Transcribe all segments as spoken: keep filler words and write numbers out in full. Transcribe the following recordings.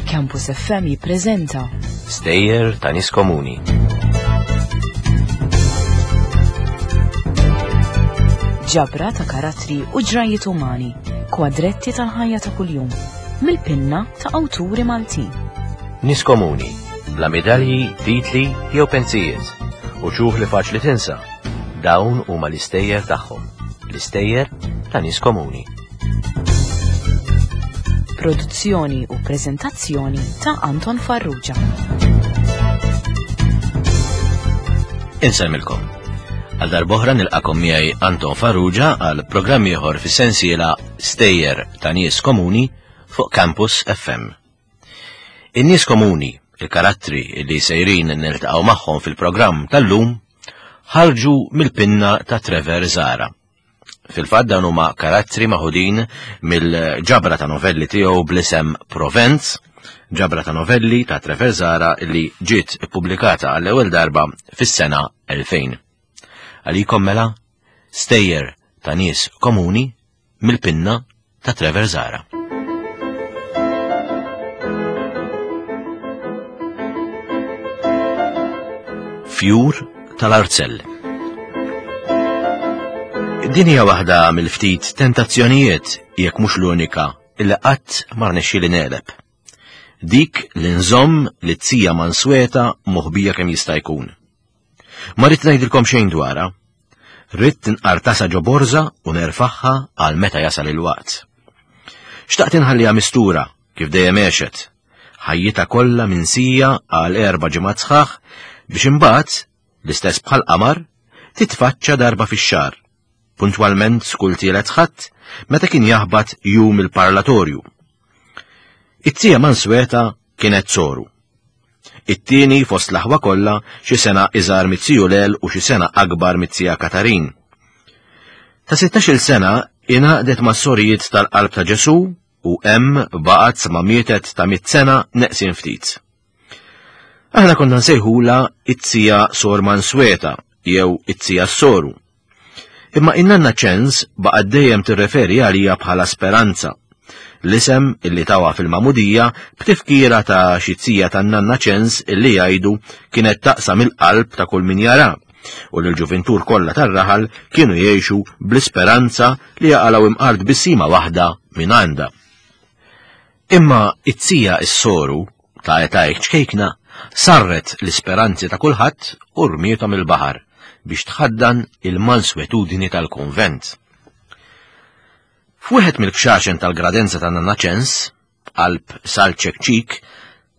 Campus F M jippreżenta Stejjer ta' nies komuni. Ġabra ta' karattri u ġrajiet umani, kwadretti tal-ħajja ta' kuljum, mill-pinna ta' awturi Maltin. Nies komuni, bla medalji, titli jew pensijiet, u ċuħ li faċli tinsa. Dawn huma l-istejjer tagħhom, l-istejjer ta' nies komuni. Produzzjoni u preżentazzjoni ta' Anton Farrugia. Insemmilkom. Għal darb'oħra nilqakom miegħi Anton Farrugia għal programm ieħor fis-sensiela Stejjer ta' Nies Komuni fuq Campus F M. In-nies komuni, il-karattri li sejrin niltaqgħu magħhom fil-programm tal-lum, ħarġu mill-pinna ta' Trevor Zahra. Fil-fatt dawn huma karattri maħudin mill-ġabra ta' novelli tiegħu bl-isem Provenz, ġabra ta' novelli ta' Trevor Zahra li ġiet ippubblikata għall-ewwel darba fis-sena elfejn. Għalikom mela, Stejjer ta' Nies Komuni mill-pinna ta' Trevor Zahra. Fjur tal-Arzell. Din hija waħda mill-ftit tentazzjonijiet, jekk mhux l-unika, illi qatt ma rnexxieli negħleb. Dik li nżomm li t-tija mansweta moħbija kemm jista' jkun. Ma rrid ngħidilkom xejn dwarha. Ridt nqartasa ġo borża u nerfaħħa għal meta jasal il-waqt. Xtaqt inħalliha mistura kif dejjem għexet, ħajjitha kollha minsija għal erba' ġimgħat sħaħ biex imbagħad, l-istess bħal qamar, titfaċċa darba fix-xahar, puntwalment skull tielet ħadd meta kien jaħbat jum il-parlatorju. It-tija mansweta kienet soru. It-tieni fost l-aħwa kollha xi sena iżgħar mit-tiju Lel u xi sena akbar mit-tija Katarin. Ta' sittax-il sena ingħaqdet mas-sorijiet tal-Qalb ta' Ġesu u hemm baqgħet sa ma mietet ta' mitt sena neqsin ftit. Aħna konna nsejħula it-tija Sor Mansweta jew it-tija Soru. Imma in-nanna Ċens baqgħet dejjem tirreferi għalija bħala Speranza, l-isem illi tawa fil-Magħmudija b'tifkira ta' xi tija tan-nanna Ċens illi jgħidu kienet taqsam il-qalb ta' kull min jara, u li l-ġuvintur kollha tar-raħal kienu jgħixu bl-isperanza li jaqalgħu imqar tbissima waħda minn għandha. Imma it-tija s-soru ta' età ċkejkna sarret l-isperanzi ta' kulħadd u rmiethom il-baħar biex tħaddan il-manswetudni tal-konvent. F'wieħed mill-kxaxen tal-gradenza ta' Nanna Ċens, qalb Salċekċik,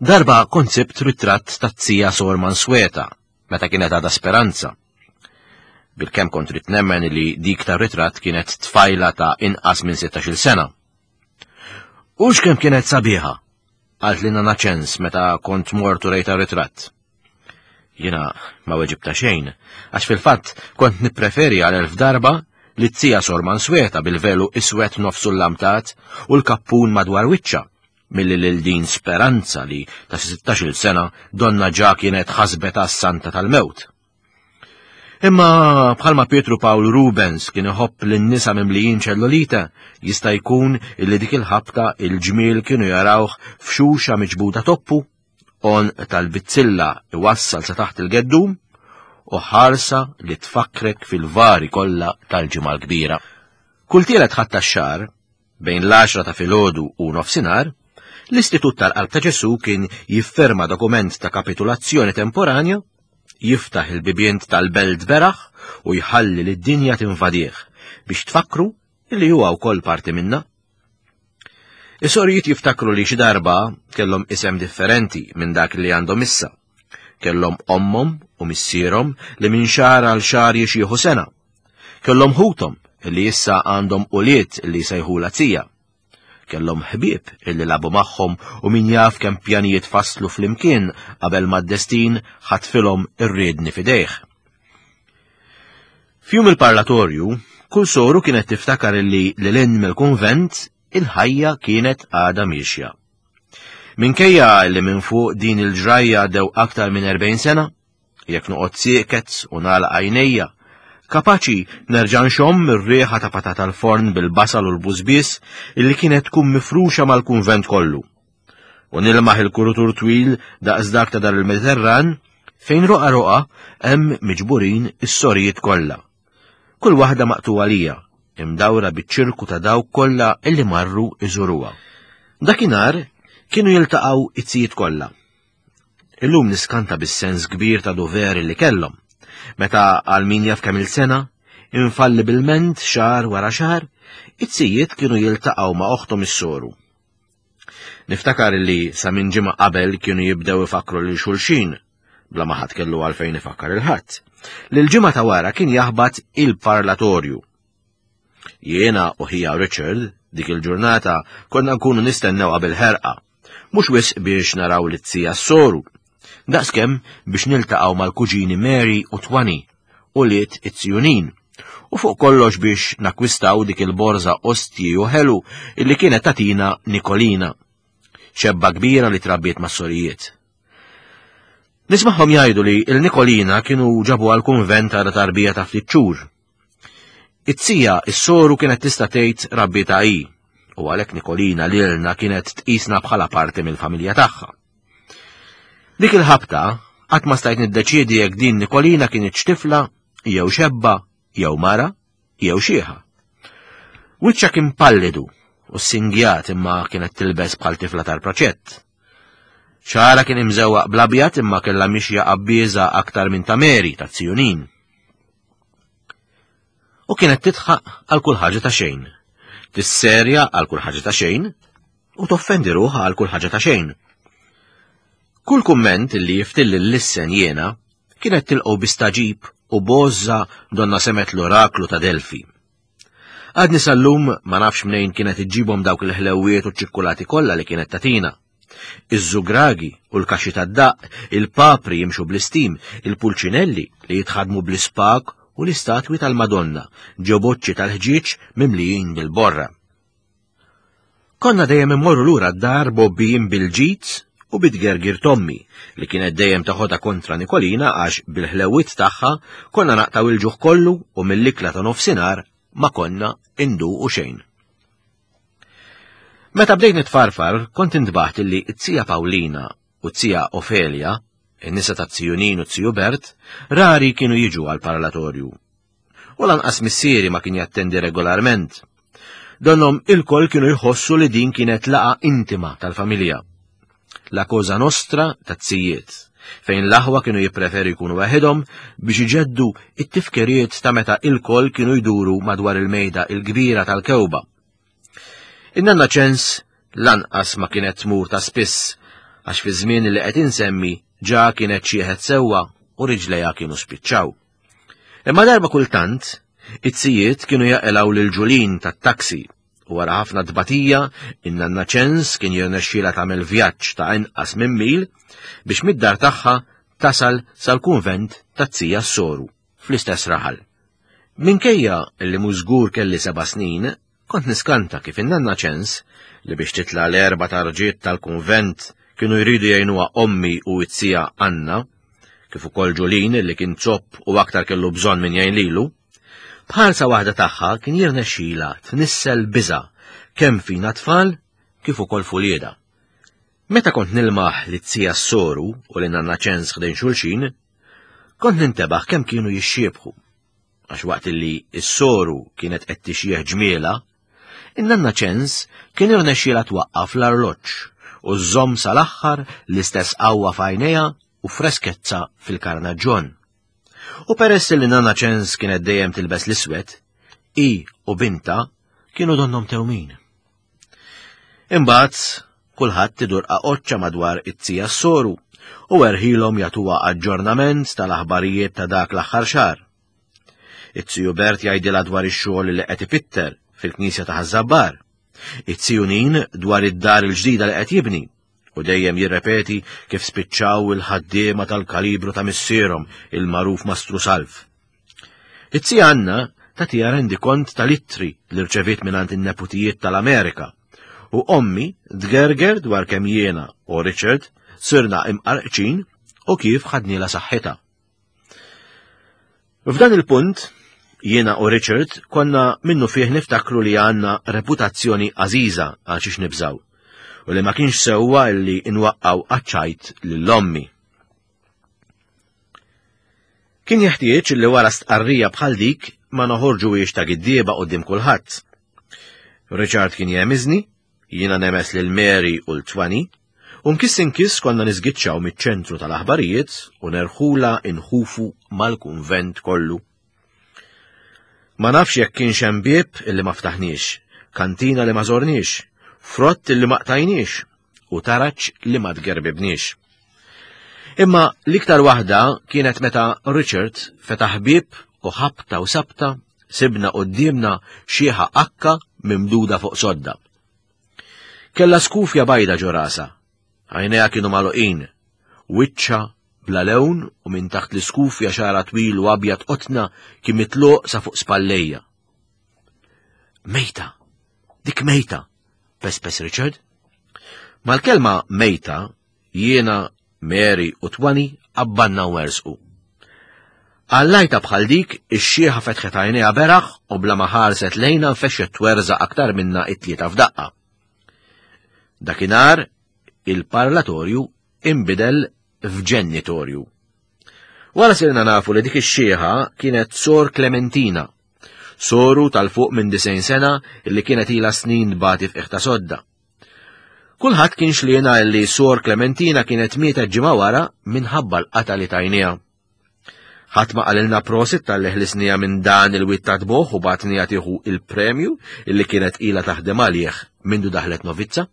darba kont sibt ritratt ta' tija Sor Mansweta meta kienet għadha Speranza. Bilkemm kont rid nemmen li dik tar-ritratt kienet tfajla ta' inqas minn sittax-il sena. U x'kemm kienet sabiħa, qalt li Nanna Ċens meta kont mort u rejta ritratt. Jiena ma weġibta xejn, għax fil-fatt kont nippreferi għal elf darba li t-tija Sor Mansweta bil-velu iswed nofsu l-lamtat u l-kappun madwar wiċċa, milli lil din Speranza li ta' sittax-il sena donna ġa kienet ħasbet għas-santa tal-mewt. Imma bħalma Pietru Pawl Rubens kien iħobb lin-nisa mimlijin ċellulita, jista' jkun illi dik il-ħabta il-ġmiel kienu jarawh f'xuxa miġbuda toppu, on tal-bizzilla iwassal sa taħt il-geddum, u ħarsa li tfakkrek fil-vari kollha tal-ġimgħa l-kbira. Kull tielet ħadd tax-xahar, bejn l-għaxra ta' filgħodu u nofsinhar, l-Istitut tal-Qalb ta' Ġesu kien jifferma dokument ta' kapitulazzjoni temporanja, jiftaħ il-bibien tal-belt beraħ u jħalli lid-dinja tinvadih biex tfakru li huwa wkoll parti minna. Is-sorijiet jiftakru li xi darba kellhom isem differenti minn dak li għandhom issa. Kellhom ommhom u missierhom li minn xahar għal xahar jixjieħu sena. Kellhom ħuthom li issa għandhom ulied li jsejħulha tija. Kellhom ħbieb illi labu magħhom u min jaf kemm pjanijiet faslu flimkien qabel ma d-destin ħatfilhom ir-riedni f'idejh. F'jum il-parlatorju, kull soru kienet tiftakar illi lil hinn mill-kunvent il-ħajja kienet għadha miexja. Minkejja li minn fuq din il-ġrajja għaddew aktar minn erbgħin sena, jekk noqgħod sieket u nagħlaq għajnejja, Kapaċi nerġa' nxomm ir-riħa ta' patata l-forn bil-basal u l-bużbis illi kienet tkun mifruxa mal-kunvent kollu. U nilmaħ il-kurutur twil daqs dak ta' dar il-Mediterran fejn roqa roqa hemm miġburin is-sorijiet kollha. Kull waħda maqtuwa lija, imdawra biċ-ċirku ta' dawk kollha illi marru iżuruha. Dakinhar kienu jiltaqgħu it-sijiet kollha. Illum niskanta bis-sens kbir ta' dover li kellhom. Meta għal min jaf kemm il-sena, infallibilment xahar wara xahar, it-sijiet kienu jiltaqgħu ma' oħthom is-soru. Niftakar li sa minn ġimgħa qabel kienu jibdew ifakkru lil xulxin, bla ma ħadd kellu għalfejn ifakkar il-ħadd. Lil ġimgħa ta' wara kien jaħbat il-parlatorju. Jiena u ħija Richard dik il-ġurnata konna nkunu nistennew qabel ħerqa, mhux wisq biex naraw li t-sija s-soru, daqskemm biex niltaqgħu mal-kuġini Mary u Twani u liet it-Sjunin, u fuq kollox biex nakwistaw dik il-borża ostji u ħelu illi kienet tatina Nikolina, xebba kbira li trabbiet mas-sorijiet. Nismaħħom jgħidu li il-Nikolina kienu ġabu għal-kunvent għal tarbija ta' ftit xhur. It-sija is-soru kienet tista' tgħid rabbieta hi, u għalhekk Nikolina lilna kienet tqisna bħala parti mill-familja tagħha. Dik il-ħabta qatt ma stajt niddeċiedi jekk din Nikolina kienet tifla jew xebba jew mara jew xieħa. Wiċċha kien pallidu u singjat imma kienet tilbes bħal tifla tal-proċett. Xara kien imżewwaq blabjat imma kellha mixja qabbieża aktar minn ta' Mary ta' Tzjunin. U kienet titħaq għal kull ħaġa ta' xejn, tisserja għal kull ħaġa ta' xejn u toffendi ruħha għal kull ħaġa ta' xejn. Kull kumment li jiftilli l-lissen jiena kienet tilqgħu bistaġib u bożża donna semet l-oraklu ta' Delfi. Għadni sal-lum ma nafx mnejn kienet iġġibhom dawk il-ħlewiet u ċ-ċikkulati kollha li kienet tatina. Iż-żugragi u l-kaxxi tad-daqq, il-papri jimxu bl-istim, il-pulċinelli li jitħadmu bl-ispak u l-istatwi tal-Madonna, ġoboċċi tal-ħġieġ mimlijin bil-borra. Konna dejjem immorru lura d-dar bobbijin bil-ġid u bitgergir Tommi li kienet dejjem taħodha kontra Nikolina għax bil-ħlewiet tagħha konna naqtaw il-ġuħ kollu u mill-ikla ta' nofsinhar ma konna induqu xejn. Meta bdejt nitfarfar, kont intbaħt li t-tija Paulina u t-tija Ofelia, in-nisa ta' Tzjunin u t-tiju Bert, rari kienu jiġu għal parlatorju. U lanqas missieri ma kien jattendi regolarment. Donhom il-koll kienu jħossu li din kienet laqa intima tal-familja. La cosa nostra ta' tzijiet, fejn l-aħwa kienu jippreferu jkunu waħedhom biex iġeddu it-tifkiriet ta' meta il-koll kienu jduru madwar il-mejda il-kbira tal-kewba. In-nanna ċens lanqas ma kienet tmur ta' spiss, għax fi żmien li qed insemmi ġa kienet xieħet sewwa u riġlejha kienu spiċċaw. Imma darba kultant, it-tzijiet kienu jaqilgħu lil Ġulin tat-taksi u wara ħafna tbatija, in-nanna ċens kien jirnexxielha tagħmel vjaġġ ta' inqas minn mil biex mid-dar tagħha tasal sal-kunvent tat-tija s-soru fl-istess raħal. Minkejja li mhux żgur kelli seba' snin, kont niskanta kif in-nanna ċens li biex titla' l-erba' tarġiet tal-kunvent kienu jridu jgħinuha ommi u t-tija Anna, kif ukoll Ġulin li kien zopp u aktar kellu bżonn min jgħin lilu, bħalsa waħda tagħha kien jirnexxila tnissel biża' kemm fina tfal kif ukoll fulieda. Meta kont nilmaħ li t-tija s-soru u li nanna ċens ħdejn xulxin, kont nintebaħ kemm kienu jixxiebħu. Għax waqt li s-soru kienet qed tixjieħ ġmiela, in-nanna ċens kien irnexxiela twaqqaf l-arloġġ u żżomm sal-aħħar l-istess qawwa f'għajnejha u freskezza fil-karnaġġon. U peress li nanna ċens kienet dejjem tilbes l-iswed, i u binta kienu donnom tewmin. Imbagħad kulħadd idur qaqoċċa madwar it-tija s-soru u erħilhom jagħtuha aġġornament tal-aħbarijiet ta' dak l-aħħar xahar. It-tiju Bert jgħidilha dwar ix-xogħol li qed ipitter fil-knisja ta' Ħaż-Żabbar, it-tiju Nin dwar id-dar il-ġdida li qed jibni, u dejjem jirrepeti kif spiċċaw il-ħaddiema tal-kalibru ta' missierhom il-magħruf Mastru Salv. It-tija Anna tagħtiha rendikont tal-ittri li rċeviet mingħand in-neputijiet tal-Amerika, u ommi tgerger dwar kemm jiena u Richard sirna imqarqċin u kif ħadnila saħħitha. F'dan il-punt, Jiena u Richard konna minnu fih niftakru li għandna reputazzjoni għażiża għal xiex nibżaw u li ma kienx sewwa li nwaqqaw għaċ-ċajt lil ommi. Kien jeħtieġ li wara stqarrija bħal dik ma noħorġuhiex ta' giddieba quddiem kulħadd. Richard kien jemiżni, jiena nemes lil Mary u l-Twani, u nkiss inkiss konna niżgiċċaw miċ-ċentru tal-aħbarijiet u nerħula inħufu mal-kunvent kollu. Ma nafx jekk kienx hemm bieb illi ma ftaħniex, kantina li ma żorniex, frott illi ma qtajniex u taraġ li ma tgerbibniex. Imma l-iktar waħda kienet meta Richard fetaħ bieb u ħabta u sabta sibna quddiemna xieħa akka mimduda fuq sodda. Kella skufja bajda ġo rasha, għajnejha kienu magħluqin, wiċċha bla lewn u minn taħt l-iskufja xara twil u abjad qotna kien mitluq sa fuq spallejja. Mejta, dik mejta, pespes Richard. Mal-kelma mejta, jiena, Mary u Twani abbanna u ersqu. Għallajta bħal dik, ix-xieħa fetħet għajnejha beraħ u bla ma ħarset lejna nfexxet twerża aktar minna it-tlieta f'daqqa. Dakinhar il-parlatorju imbidel f'ġennitorju. Wara sirna nafu li dik ix-xieħa kienet Sor Clementina, soru tal-fuq minn disgħin sena illi kienet ilha snin tbati f'qiegħ ta' sodda. Kulħadd kien xliena li Sor Clementina kienet mietet ġimgħa wara minħabba l-qata li tajniha. Ħadd ma qalilna prosit talli ħlisniha minn dan il-wied ta' tboħ u bagħtniha tieħu il-premju illi kienet ilha taħdem għalih mindu daħlet novizza.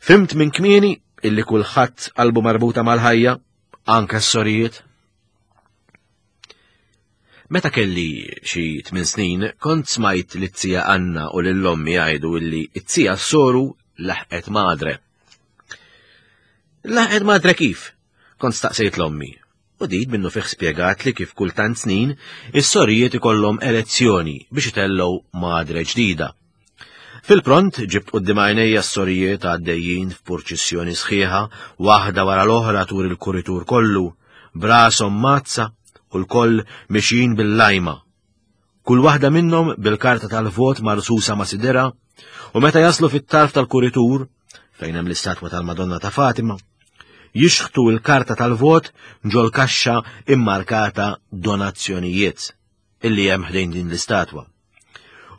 Fimt minn kmieni illi kulħadd qalbu marbuta mal-ħajja, anke s-sorijiet. Meta kelli xi tmien snin, kont smajt li t-tija Anna u lil ommi jgħidu illi t-tija soru laħqet madre. Laħqet madre kif? Kont staqsejt l-ommi. U dit minnu fih spjegat li kif kull tant snin is-sorijiet ikollhom elezzjoni biex itellgħu madre ġdida. Fil-pront ġibt quddiem għajnejja s-sorijiet għaddejjin f'purċissjoni sħiħa, waħda wara l-oħra tur il-kuritur kollu, brashom mazza u l-koll mixjin bil-lajma. Kull waħda minnhom bil-karta tal-vot marsusa ma' sidera, u meta jaslu fit-tarf tal-kuritur, fejn hemm l-istatwa tal-Madonna ta' Fatima, jixħtu l-karta tal-vot ġol kaxxa immarkata donazzjonijiet illi hemm ħdejn din l-istatwa.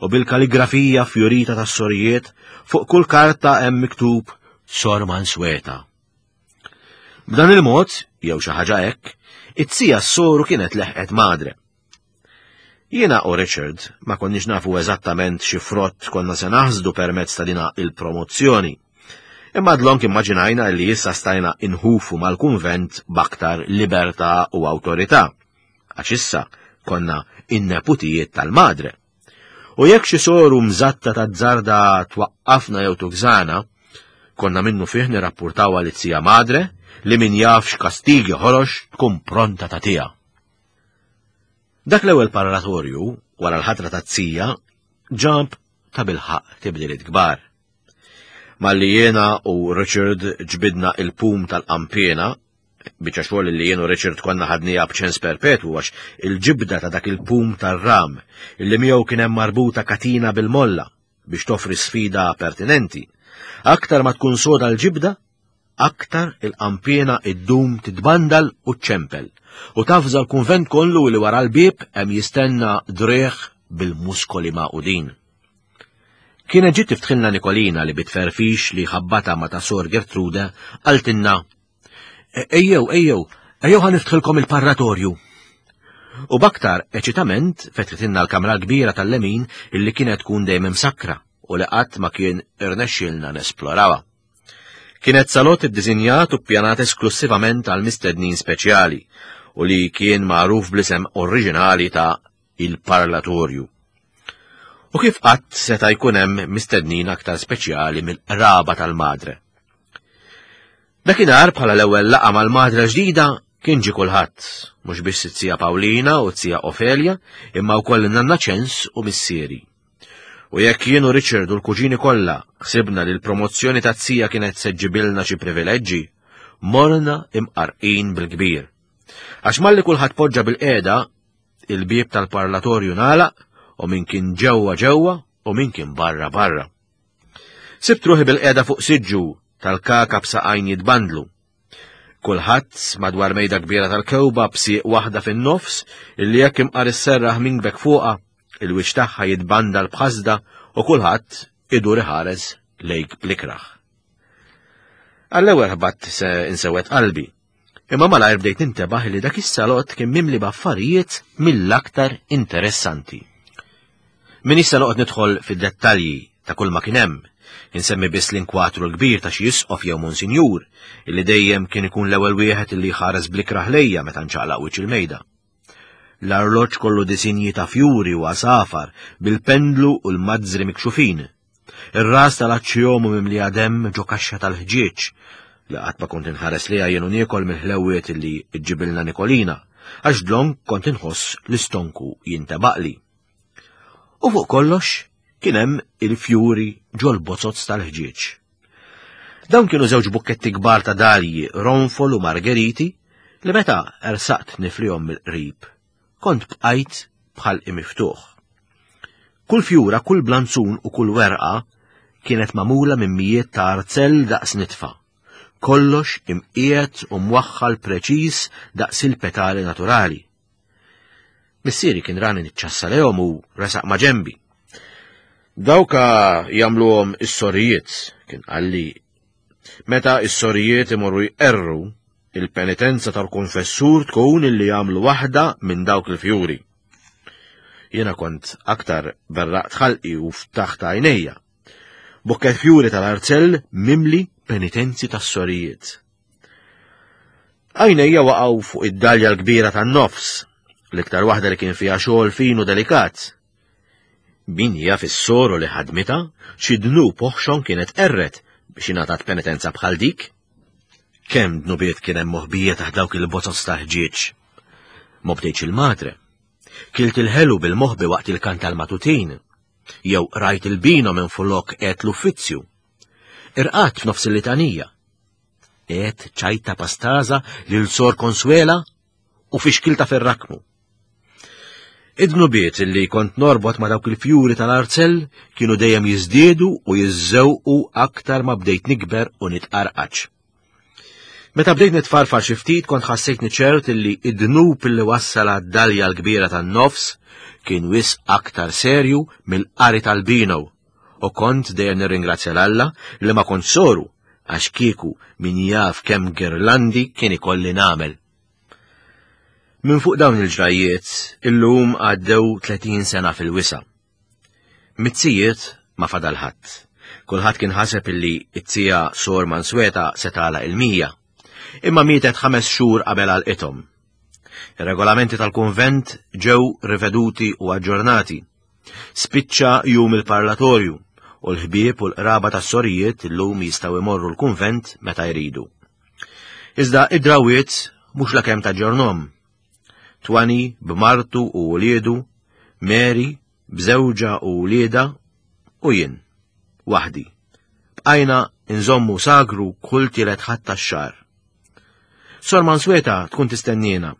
U bil-kaligrafija fjorita tas-sorijiet fuq kull karta hemm miktub Sor Mansueta. B'dan il-mod, jew xi ħaġa hekk, it-tija s-soru kienet leħqet madre. Jiena u Richard ma konniex nafu eżattament xi frott konna se naħsdu permezz ta' dina il-promozzjoni. Imma dlonk immaġinajna li issa stajna inħufu mal-kunvent b'aktar libertà u awtorità, għax issa konna in-neputijiet tal-madre. U jekk xi soru mżatta ta' żarda twaqqafna jew tugżana, konna minnu fih nirrappurtaw għal it-tija madre li min jaf x'kastigi ħorox tkun pronta tagħtiha. Dak l-ewwel parlatorju, wara l-ħatra tat-tija, ġab ta' bilħaq tibdiliet kbar. Malli jiena u Richard ġbidna il-pum tal-qampiena, biċċa xogħol li jien u Richard konna ħadniha b'ċens perpetwu għax il-ġibda ta' dak il-pum tar-ram illi miegħu kien hemm marbuta katina bil-molla biex toffri sfida pertinenti. Aktar ma tkun soda l-ġibda, aktar il-qampiena iddum titbandal u ċempel u tafza l-kunvent kollu li wara l-bieb hemm jistenna driegħ bil-muskoli maqudin. Kienet ġiet tiftħilna Nikolina li bitferfix li ħabbata ma ta' Sor Gertrude qaltilna, Ejjew, ejjew, ejjew ħa niftħilkom il-parlatorju. U b'aktar eċitament fetħitilna l-kamra kbira tal-lemin illi kienet tkun dejjem imsakra u li qatt ma kien irnexxielna nesplorawha. Kienet salott iddisinjat u ppjanat esklusivament għal mistednin speċjali u li kien magħruf bl-isem oriġinali ta' il-parlatorju. U kif qatt seta' jkun hemm mistednin aktar speċjali mill-qraba tal-madre. Dakinhar bħala l-ewwel laqgħa mal-madre ġdida kien ġie kulħadd, mhux biss it-tija Pawlina u t-tija Ofelia, imma wkoll in-nanna Ċens u missieri. U jekk jien u Richard u l-kuġini kollha ħsibna li l-promozzjoni tat-tija kienet se ġġibilna xi privileġġi, morna imqarqin bil-kbir. Għax malli kulħadd poġġa bil-qiegħda, il-bieb tal-parlatorju nagħlaq u min kien ġewwa ġewwa u min kien barra barra. Sibt ruħi bil-qiegħda fuq siġġu tal-kaka b'saqajn jitbandlu. Kulħadd madwar mejda kbira tal-kewba b'sieq waħda fin-nofs illi jekk imqar isserraħ minkbek fuqha, il-wiċċ tagħha jitbandal b'ħasda u kulħadd idur iħares lejk blikraħ. Għall-ewwel ħbatt se insewwet qalbi, imma malajr bdejt nintebaħ li dak is-salott kien mimli b'affarijiet mill-aktar interessanti. Min issa noqgħod nidħol fid-dettalji ta' kull ma kien hemm, insemmi biss l-inkwatru l-kbir ta' xi isqof jew monsinjur illi dejjem kien ikun l-ewwel wieħed illi jħares blikraħ lejja meta nċaqlaq wiċċ il-mejda. L-arloġġ kollu disinji ta' fjuri u għasafar bil-pendlu u l-mazzri mikxufin. Ir-ras tal-aċċjomu mimlija demm ġo kaxxa tal-ħġieġ li qatt ma kont inħares liha jien u niekol mill-ħlewwiet illi ġġibilna Nikolina, għax dlonk kont inħoss l-istonku jintebaqli. U fuq kollox kien hemm il-fjuri ġol-bozozz tal-ħġieġ. Dawn kienu żewġ bukketti kbar ta' dalji, ronfol u margeriti li meta ersaqt niflihom mill-qrib, kont bqajt bħal imiftuħ. Kull fjura, kull blanzun u kull werqa kienet magħmula minn mijiet ta' arzell daqs nitfa. Kollox imqiegħed u mwaħħal preċiż daqs il-petali naturali. Missieri kien rani niċċassa lehom u resaq ma' ġenbi. Dawka jagħmluhom is-sorijiet, kien qalli. Meta is-sorijiet imorru jqerru, il-penitenza tal-konfessur tkun illi jagħmlu waħda minn dawk il-fjuri. Jiena kont aktar berraqt ħalqi u ftaħt għajnejja. Bukket fjuri tal-arzell mimli penitenzi tas-sorijiet. Għajnejja waqgħu fuq id-dalja l-kbira tan-nofs, l-iktar waħda li kien fiha xogħol fin u delikat. Min jaf is-soru li ħadmitha, xi dnub oħxon kienet qerret biex ingħatat penitenza bħal dik. Kemm dnubiet kien hemm moħbija taħt dawk il-bozozz ta' ħġieġ. Ma bdejtx il-madre. Kilt il-ħelu bil-moħbi waqt il-kant tal-matutin, jew rajt il-bino minn flok għedt l-uffizzju. Irqadt f'nofs il-litanija. Għedt ċajta pastaża lil Sor Consuela u fixkilta fir-rakmu. Id-dnubiet illi kont norbot ma' dawk il-fjuri tal-arzell kienu dejjem jiżdiedu u jiżżewqu aktar ma bdejt nikber u nitqarqaċ. Meta bdejt nitfarfar xi ftit kont ħassejtni ċert illi id-dnub illi wassal għad-dalja l-kbira tan-nofs kien wisq aktar serju mill-qari tal-bino u kont dejjem nirringrazzja l-Alla li ma kont soru għax kieku min jaf kemm girlandi kien ikolli nagħmel. Minn fuq dawn il-ġrajiet illum għaddew tletin sena fil-wisa. Mizzijiet ma fadal ħadd. Kulħadd kien ħaseb illi it-tija Sor Mansueta se tagħlaq il-mija. Imma mietet ħames xhur qabel għalqithom. Ir-regolamenti tal-kunvent ġew riveduti u aġġornati. Spiċċa jum il-parlatorju u l-ħbieb u l-qraba tas-sorijiet illum jistgħu imorru l-kunvent meta jridu. Iżda id-drawiet mhux lakemm taġġornhom. Twani b'martu u wliedu, Mary b'żewġha u wliedha u jien, waħdi. Bqajna nżommu sagru kull tielet ħadd tax-xahar. Sor Mansueta tkun tistennina.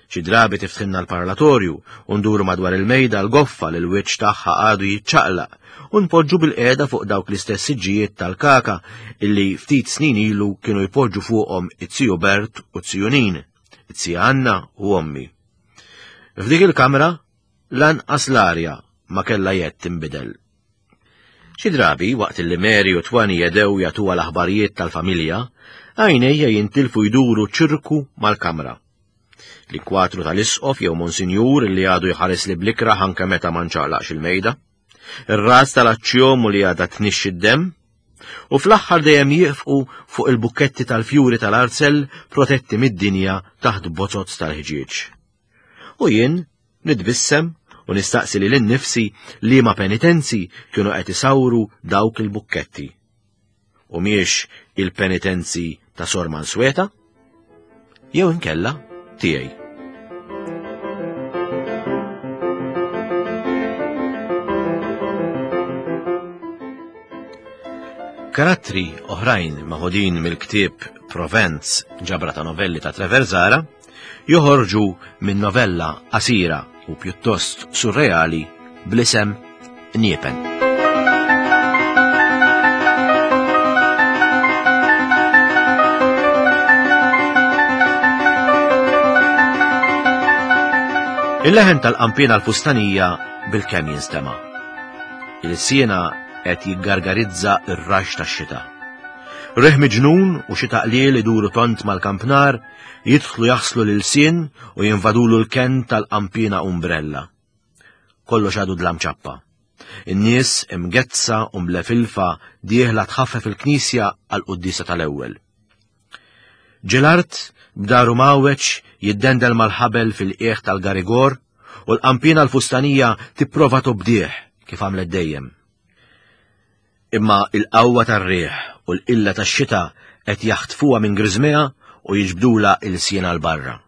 Xi drabi tiftħilna l-parlatorju u nduru madwar il-mejda l-goffa li l-wiċċ tagħha għadu jiċċaqlaq u npoġġu bil-qiegħda fuq dawk l-istess siġġijiet tal-kaka illi ftit snin ilu kienu jpoġġu fuqhom it-tiju Bert u t-tiju Nin, it-tija Anna u ommi. F'dik il-kamra lanqas l-arja ma kellha jedd tinbidel. Xi drabi waqt li Mary u Twani jedew jagħtuha l-aħbarijiet tal-familja, għajnejja jintilfu jduru ċirku mal-kamra. L-inkwatru tal-isqof jew monsinjur li għadu jħares li blikraħ anke meta ma nċaqlaqx il-mejda, ir-ras tal-aċċjomu li għadha tnixxi d-demm, u fl-aħħar dejjem jieqfqu fuq il-bukketti tal-fjuri tal-arzell protetti mid-dinja taħt bozozz tal-ħġieġ. U jien nitbissem u nistaqsi lil innifsi li ma penitenzi kienu qed isawru dawk il-bukketti. U miex il-penitenzi ta' Sor Mansueta, jew inkella tiegħi. Karattri oħrajn maħudin mill-ktieb Provenz, ġabra ta' novelli ta' Trevor Zahra, joħorġu minn novella qasira u pjuttost surreali bl-isem Niepen. Il-leħen tal-qampina l-fustanija bil-kemm jinstema'. Il-siena qed jiggargarizza r-rax tax-xita. Riħ miġnun u xita qliel iduru tont mal-kampnar jidħlu jaħslu lil-sien u jinvadulu l-ken tal-qampina umbrella. Kollox għadu dlam ċappa. In-nies imgezza u mlefilfa dieħla tħaffef il-knisja għal-quddisa tal-ewwel. Ġelart b'daru mawweġ jiddendel mal-ħabel fil-qiegħ tal-garigor u l-qampina l-fustanija tipprova tobdih kif għamlet dejjem. Imma il-qawwa tar-riħ u l-qilla tax-xita qed jaħtfuha minn griżmeha u jiġbdula il-sien għal barra.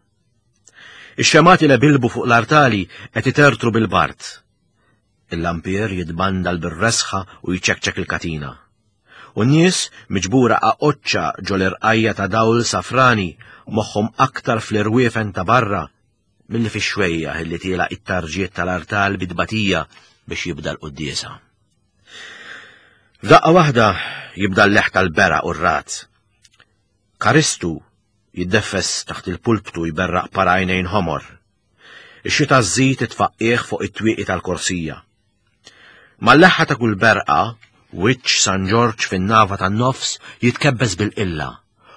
Ix-xemati li bilbu fuq l-artali qed itertru bil-bart. Il-lampier jitbandal bir-resħa u jċekċek il-katina. U n-nies miġbura aqoċċa ġol irqajja ta' dawl safrani moħħhom aktar fl-irwiefen ta' barra milli fix-xwejja illi tiela it-tarġiet tal-artal bidbatija biex jibda l-quddiesa. F'daqqa waħda jibda l-leħ tal-beraq u r-rat. Karistu jiddeffes taħt il-pulptu jberraq para għajnejn ħomor. Ix-xita żżid itfaqqih fuq it-twieqi tal-korsija. Mal-leħħa ta' kull berqa, wiċċ San Ġorġ fin-nava tan-nofs jitkebbes bil-qilla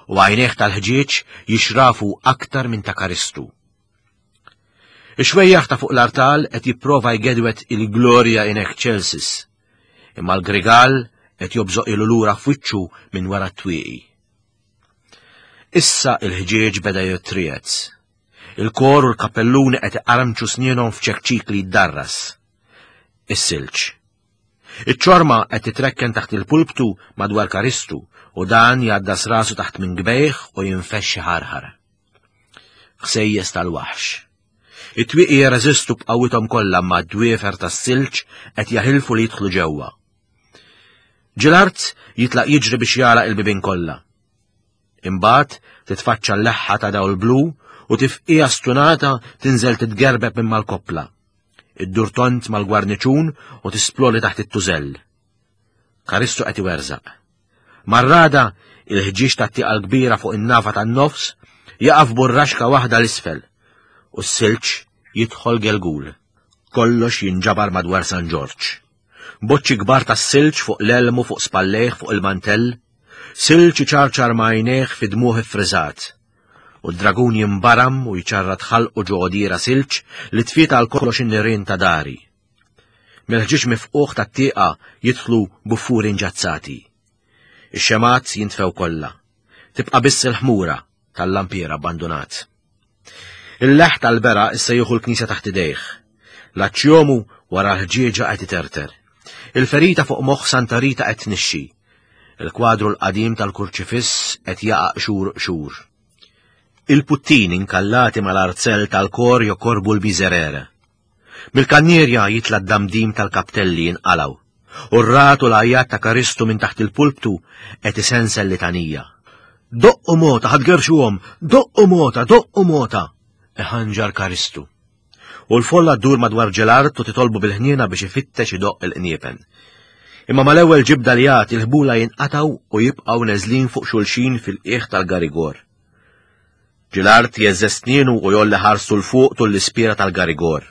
u għajnejh tal-ħġieġ jixrafu aktar minn ta' Karistu. Ix-xwejjaħ ta' fuq l-artal qed jipprova jgedwet il-Gloria in excelsis, imma l-grigal qed jobżoq ilu lura f'wiċċu minn wara t-twieqi. Issa il-ħġieġ beda jittriez. Il-kor u l-kappelluni qed iqarmċu snienhom f'ċekċik li jiddarras. Is-silġ. Iċ-ċorma qed titrekken taħt il-pulptu madwar Karistu u dan jgħaddas rasu taħt minn gbejh u jinfexxi ħarħar. Ħsejjes tal-waħx. It-twieqi jirreżistu b'qawwithom kollha ma' d-dwiefer tas-silġ qed jaħilfu li jidħlu ġewwa. Ġilart jitlaq jiġri biex jagħlaq il-bibien kollha. Imbagħad titfaċċa l-leħħa ta' dawl blu u tifqija stunata tinżel titgerbeb minn mal-koppla. Iddur tont mal-gwarniċun u tisploli taħt it-tużell. Karistu qed iwerżaq. Marrada il-ħġieġ tat-tieqa l-kbira fuq in-nava tan-nofs jaqaf burraxka waħda l-isfel u s-silġ jidħol gelgul. Kollox jinġabar madwar San Ġorġ. Boċċi kbar tas-silġ fuq l-elmu fuq spallejh fuq il-mantell, silġ iċarċar ma' għajnejh fi dmuħ iffriżat. U d-dragun jimbaram u jċarrat ħalqu ġo għodira silġ li tfiet għal kollox in-nirien ta' dari. Mill-ħġieġ mifquħ tat-tieqa jidħlu buffuri nġazzati. Ix-xemat jintfew kollha. Tibqa' biss il-ħmura tal-lampier abbandunat. Il-leħ tal-bera issa jieħu l-knisja taħt idejh. L-aċċjomu wara l-ħġieġa qed iterter. Il-ferita fuq moħħ Santa Rita qed tnixxi. Il-kwadru l-qadim tal-kurċifiss qed jaqa' xhur xhur. Il-puttini inkallati mal-arzell tal-kor jokorbu l-miżerere. Mill-kannierja jitla' d-damdim tal-kaptelli jinqalaw. U r-rat u l-għajat ta' Karistu minn taħt il-pulptu qed isensel litanija. Doqqu mota, ħadgerxuhom, doqqu mota, doqqu mota, iħanġar Karistu. U l-folla ddur madwar Ġelart u titolbu bil-ħniena biex ifittex idoqq il-qniepen. Imma mal-ewwel ġibda li jagħti il-ħbula jinqataw u jibqgħu neżlin fuq xulxin fil-qiegħ tal-garigor. Ġilart jeżżes snienu u jolli ħarsu l fuq tul l-ispira tal-garigor.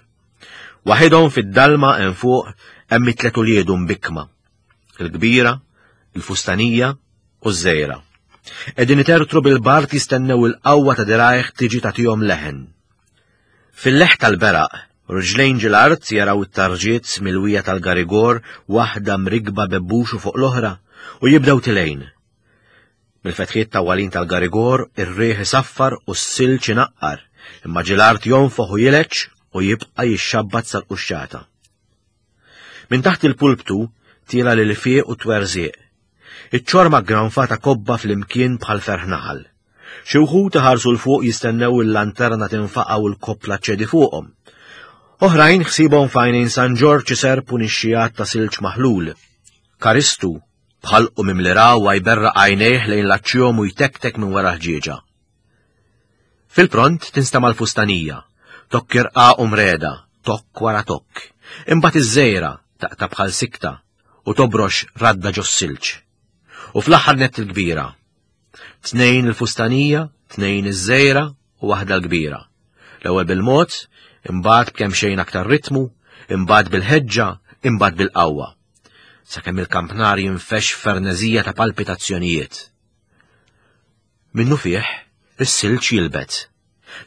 Waħidhom fid-dalma hemm fuq hemm it-tliet uliedu mbikkma. Il-kbira, il-fustanija u ż-żejra. Qegħdin itertru bil-bart jistennew il-qawwa ta' dirajh tiġi tagħtihom leħen. Fil-leħ tal-beraq, riġlejn Ġilart jaraw it-tarġiet milwija tal-garigor waħda mrigba bebbuxu fuq l-oħra u jibdew tilejn. Mill-fetħiet tawwalin tal-garigor ir-riħ isaffar u s-silġ inaqqar, imma Ġilart jonfoħ u jileġ u jibqa' jixxabbat sal-quxxata. Minn taħt il-pulptu tiela lil fieq u twerżieq. Iċ-ċorma ggranfata kobba fl-imkien bħal ferħ naħal. Xi wħud iħarsu l fuq jistennew il-lanterna tinfaqa' u l-koppla ċedi fuqhom. Oħrajn ħsibhom f'għajnejn San Ġorġ iserpu nixxijat ta' silġ maħlul. Karistu bħalqu mimli rawwa jberraq għajnejh lejn l-aċċjom u jtektek minn wara ħġieġa. Fil-pront tinstama' l-fustanija, tokk irqaq u mreda, tokk wara tokk. Imbagħad iż-żejra taqta' bħal sikta u tobrox radda ġos-silġ. U fl-aħħar nett il-kbira. Tnejn il-fustanija, tnejn iż-żejra u waħda l-kbira. L-ewwel bil-mod, imbagħad b'kemm xejn aktar ritmu, imbagħad bil-ħeġġa, imbagħad bil-qawwa. Sakemm il-kampnar jinfex f'ferneżija ta' palpitazzjonijiet. Minnu fih, is-silġ jilbet.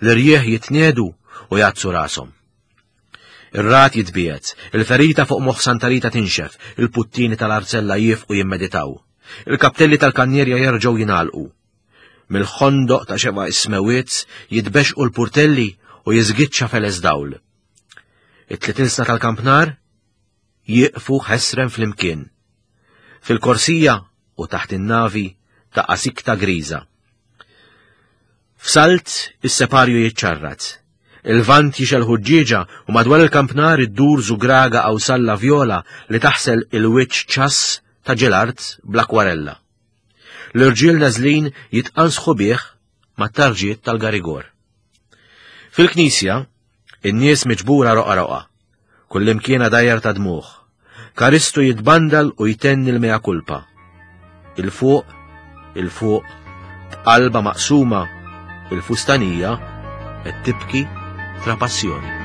L-irjieħ jitniedu u jgħaddsu rashom. Ir-ragħad jitbiegħed, il-ferita fuq moħħ Santa Rita tinxef, il-puttini tal-arzella jifqu jimmeditaw. Il-kaptelli tal-kannierja jerġgħu jingħalqu. Mill-ħondoq ta' xeba is-smewiet jitbexqu l-purtelli u jiżgiċċa feles dawl. It-tliet ilsna tal-kampnar jieqfu ħesrem flimkien. Fil-korsija u taħt in-navi taqa' sikta griża. F'salt is-separju jiċċarrat. Il-vant jixgħel ħuġġieġa u madwar il-kampnar iddur żugraga qawsalla vjola li taħsel il-wiċċ ċass ta' ġelart bl-akwarella. L-irġiel neżlin jitqansħu bih mat-tarġiet tal-garigor. Fil-knisja, in-nies miġbura roqa roqa, kullimkien dajjar ta' dmuħ. Karistu jitbandal u jtenni l-mea culpa. Il-fuq, il-fuq, b'qalba maqsuma, il-fustanija qed tibki trapassjoni.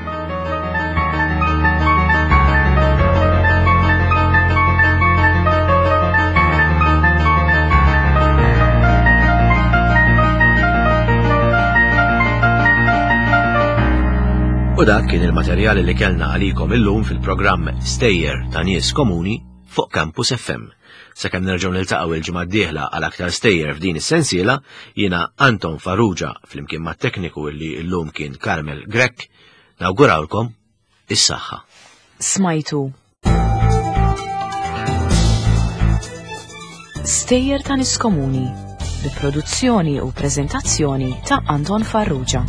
U dak kien il-materjali li kellna għalikom illum fil-programm Stejjer ta' Nies Komuni fuq Campus F M. Sakemm nerġgħu niltaqgħu il-ġimgħa d-dieħla għal aktar stejjer f'din is-sensiela, jiena Anton Farrugia flimkien mat-tekniku li llum kien Carmel Grech, nawgurawlkom is-saħħa. Smajtu Stejjer ta' Nies Komuni bi produzzjoni u preżentazzjoni ta' Anton Farrugia.